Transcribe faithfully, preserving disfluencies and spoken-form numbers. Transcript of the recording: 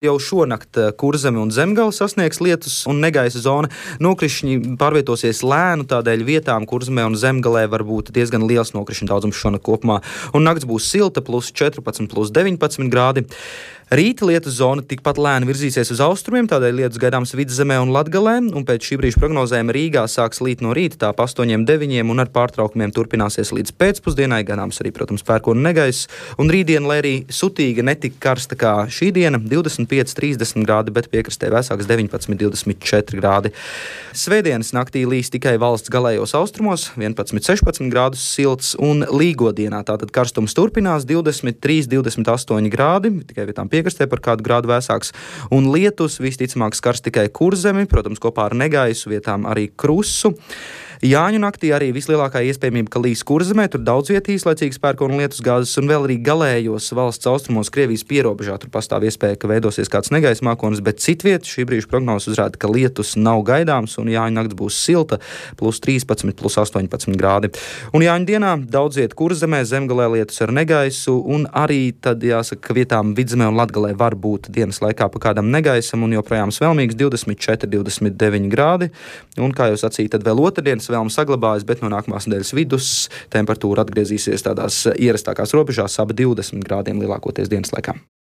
Jau šonakt Kurzeme un Zemgale sasniegs lietus un negaisa zona. Nokrišņi pārvietosies lēnu, tādēļ vietām Kurzemē un Zemgalē var būt diezgan liels nokrišņu daudzums šonakt kopumā. Un nakts būs silta, plus četrpadsmit, plus deviņpadsmit grādi. Rīta lietus zona tikpat lēni virzīsies uz austrumiem, tādēļ lietus gaidāms Vidzemē un Latgalē, un pēc šī brīža prognozēm Rīgā sāks līt no rīta tā pa astoņiem, deviņiem un ar pārtraukumiem turpināsies līdz pēcpusdienai, gaidāms arī, protams, pērkona negaiss. Un rītdien, lai arī sutīga netik karsta kā šī diena, divdesmit pieci, trīsdesmit grādi, bet piekrastē vēsāks deviņpadsmit, divdesmit četri grādi. Svētdienas naktī līs tikai valsts galējos austrumos, vienpadsmit, sešpadsmit grādus silts, un līgodienā tātad karstums turpinās divdesmit trīs, divdesmit astoņi grādi, tikai vietām piekrastē par kādu grādu vēsāks, un lietus visticamāk skars tikai Kurzemi, protams, kopā ar negaisu, vietām arī Krusu. Jāņu naktī arī vislielākā iespējamība, ka līs Kurzemē, tur daudz viet īslaicīgas pērkona un lietus gāzes, un vēl arī galējos valsts austrumos Krievijas pierobežā tur pastāv iespēja, ka veidosies kāds negaisa mākonis, bet citviet šī brīža prognozes uzrāda, ka lietus nav gaidāms, un Jāņu nakts būs silta, plus trīspadsmit, plus astoņpadsmit grādi. Un Jāņu dienā daudz viet Kurzemē, Zemgalē lietus ar negaisu, un arī tad jāsaka, ka vietām Vidzemē un Latgalē var būt dienas laikā pa kādam negaisam, un joprojām svelmīgs divdesmit četri, divdesmit deviņi grādi, un kā jau sacīju, tad vēl otrdienas vēlme saglabājas, bet no nākamās nedēļas vidus temperatūra atgriezīsies tādās ierastākās robežās ap divdesmit grādiem lielākoties dienas laikā.